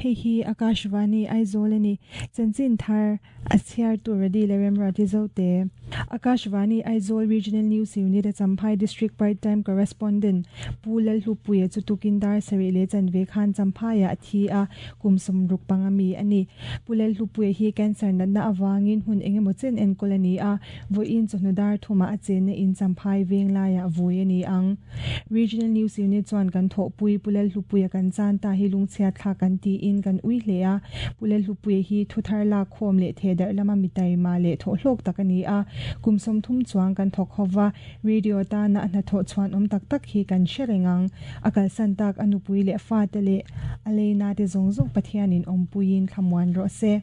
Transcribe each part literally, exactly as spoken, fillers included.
Hei hi Akashvani Aizawl ani chanchin thar a chhiar tur ready le remra ti zote Akashvani Aizawl Regional News Unit a Champhai District Part-time Correspondent Pu Lalhlupuia chu tukin dar sarih leh chanve khan Champhaiah a thi a kum sawmruk panga mi ani Pu Lalhlupuia hi cancer natna awangin hun engemaw chen enkawl ani a vawiin chawhnu dar thuma a chenna in Champhai veng laiah vui ani ang Regional News Unit chuan kan thawhpui Pu Lalhlupuia kan chan ta hi lungchhia thla kan ti in kan ui hle a Pu Lalhlupuia hi thuthar lak khawm leh thedar lama mitai ma leh thaw hlawk tak ani a kum som thum chuang kan thawk hova radio ta na na thaw chuan om tak tak hi kan hrerengang akal san tak anupui leh fa te le aleina te zawng zawng Pathianin awmpuiin thlamuan rawh se.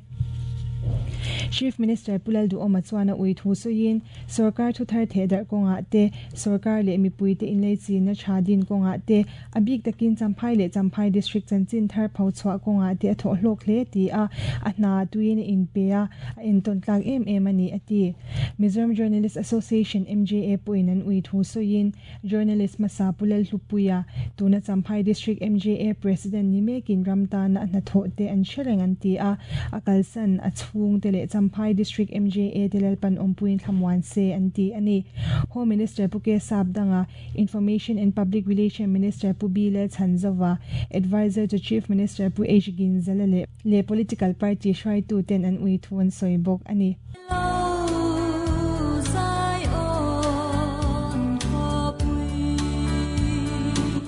Chief Minister Pu Lalduhoma chuan a ui thu suiin sarkar thu thar thedar kawnga te sarkar leh mipui te inlei chin na tha din kawnga te a bik takin Champhai leh Champhai District chanchin thar pho chhuah kawnga te a thaw hlawk hle ti a a hna tuin in pe a a enton tlak em em ani ati Mizoram Journalist Association M J A puin an ui thu suiin journalist Masa Pu Lalhlupuia tuna Champhai District M J A President ni mekin ramta na na thaw te an hrereng an ti a akalsan a chhung te leh Champhai District M J A te lalpan awmpuiin thlamuan se an ti ani Home Minister Pu K Sapdanga Information and Public Relation Minister Pu B Lalchhanzova Advisor to Chief Minister Pu H Ginzala le le political party hruaitu ten an ui thu an sawi bawk ani.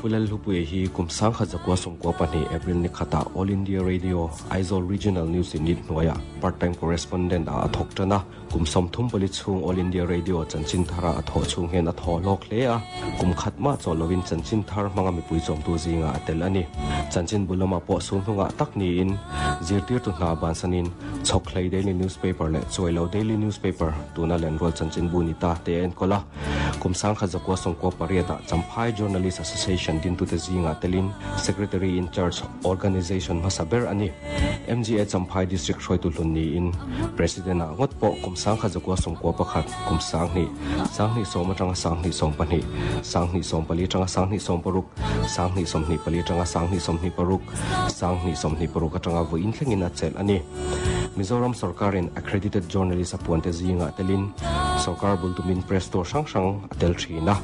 Pu Lalhlupuia hi kum sangkhat zakua sawmkua pahnih April ni khata All India Radio Aizawl Regional News Unit hnuaiah part-time correspondent a thawk tan a kum sawmthum pali chhung All India Radio chanchin thara a thawh chhung hian a thaw hlawk hle a kum khat mah chaw lovin chanchin thar hmanga mipui chawmtu zinga a tel ani chanchin bulama pawh sul hnungah tak niin zirtir tu hna bansanin chhawkhlei daily newspaper leh chuailo daily newspaper tuna lenrual chanchin bu ni ta te a enkawl a kum sangkhat zakua sawmkua pariatah Champhai Journalist Association din tu te zinga telin Secretary in Charge Organization hmasa ber ani M G A Champhai District hruaitu hlun niin President a ngot pawh kum sangkhat zakua sawmkua pakhat kum sanghnih sanghnih sawm atanga sanghnih sawm pahnih sanghnih sawm pali atanga sanghnih sawm paruk sanghnih sawmhnih pali atanga sanghnih sawmhnih paruk sanghnih sawmhnih paruk atanga vawiin thlengin a chelh ani Mizoram sarkarin accredited journalist apuan te zinga telin sarkar bultumin press tour hrang hrang a tel thina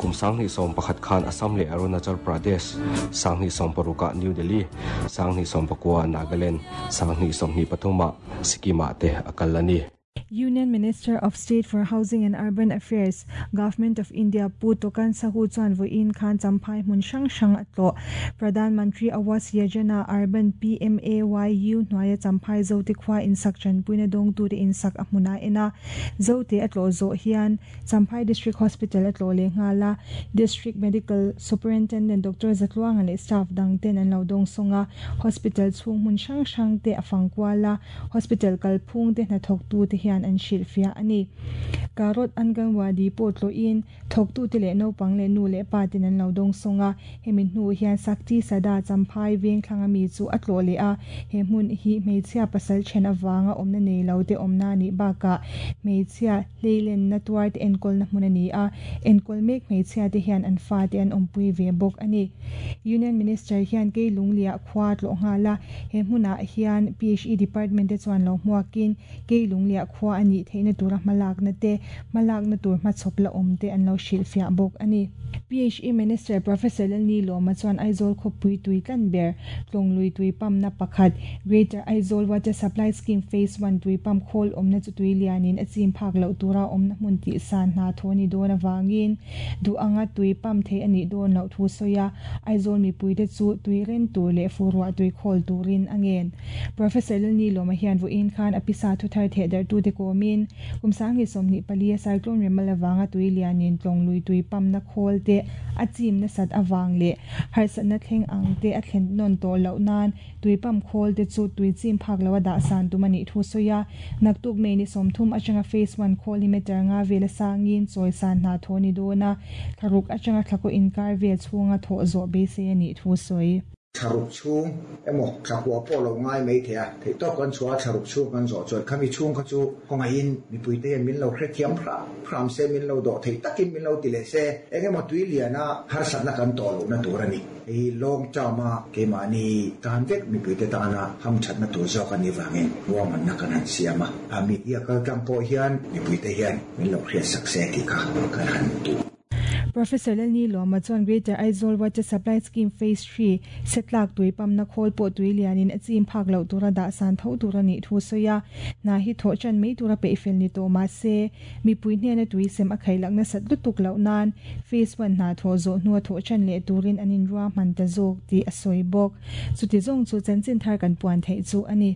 kum sanghnih sawm pakhat khan Assam leh Arunachal Pradesh sanghnih sawm parukah New Delhi sanghnih sawm pakua Nagaland sanghnih sawmhnih pathuma Sikkim te akal ani. Union Minister of State for Housing and Urban Affairs, Government of India Pu Tokan Sahu chuan vawiin khan Champhai hmun hrang hrang a tlawh Pradhan Mantri Awas Yojana Urban P M A Y U hnuaia Champhai Zote khua insak chanpuina dawngtu te insak a hmuna ena Zote a tlawh zawh hian Champhai District Hospital a tlawh leh nghala District Medical Superintendent Doctor Zatluanga leh staff dang ten an lo dawng sawnga hospital chhung hmun hrang hrang te a fangkuala hospital kalphung te hnathawk tu te hian an hrilh fiah ani Karot Anganwadi pawh tlawhin thawktu te leh naupang leh nu leh pa ten an lo dawng sawnga hemi hnu hian Sakti Sada Champhai veng thlanga mi chu a tlawh leh a he hmun hi hmeichhia pasal then awanga awmna nei lo te awmna ni bakah hmeichhia hleilen na tuar te enkawl na hmun ani a enkawl mek hmeichhia te hian an fa te an awmpui ve bawk ani Union Minister hian Keilunglia khua tlawh nghala he hmunah hian P H E Department te chuan lo hmuakin Keilunglia khua ani theina tura hmalak na te hmalak na tur hmachhawp la awm te an lo hrilh fiah bawk ani P H E Minister Professor Lalni Lawma chuan Aizawl khawpui tui tlan ber tlawng tui pam na pakhat Greater Aizawl Water Supply Scheme Phase one tui pam khawl awmna chu tui lianin a chim phak loh tura awmna hmun tih san hna thaw ni dawn awangin duh anga tui pam thei ani dawn loh thu sawia Aizawl mipui te chu tui ren tur leh furuah tui khawl turin a ngen Professor Lalni Lawma hian vawiin khan a pisa thu thar theh dar tu te kawmin kum sanghnih sawmhnih pali a cyclone remal awanga tui lianin tlawng lui tui pam na khawl te a chim na sat awang leh harsatna thleng ang te a thlen nawn tawh loh nan tui pam khawl te chu tui chim phak lo a dah san tum ani thu sawia naktuk mei ni sawmthum atanga phase one khawl hi meter nga vel a sangin chawi san hna thaw ni dawn a thlaruk atanga thlakaw inkar vel chhunga thawh zawh beisei ani thu sawi. Tharuk chung emo thakwa po lo ngai mai thea thei to kan chua tharuk chung kan zo chuan khami chung kha chu konga in mi puite hian min lo hre thiam phra phram se min lo do thei takin min lo ti le se engemaw tui liana har satna kan to lo na tur ani hei long term a keimahni tan vek mi puite tana ham thatna tur zawk ani wangin ruahman na kan han siam a a media kal tlang pawh hian mi puite hian min lo hriat sak se ti kha kan han tu. Professor Lalni Loma chuan Greater Aizawl Water Supply Scheme Phase three setlak tui pamna khawl pawh tui lianin a chim phak loh tura dah san tho tura nih thu sawi a hna hi thawh chan mai tura peihfel ni tawh mah se mipui hnena tui sem a khailak nasat lutuk loh nan Phase one hna thawh zawh hnua thawh chan leh turin an inruahman ta zawk tih a sawi bawk. Chuti zawng chu chanchin thar kan puan theih chu a ni.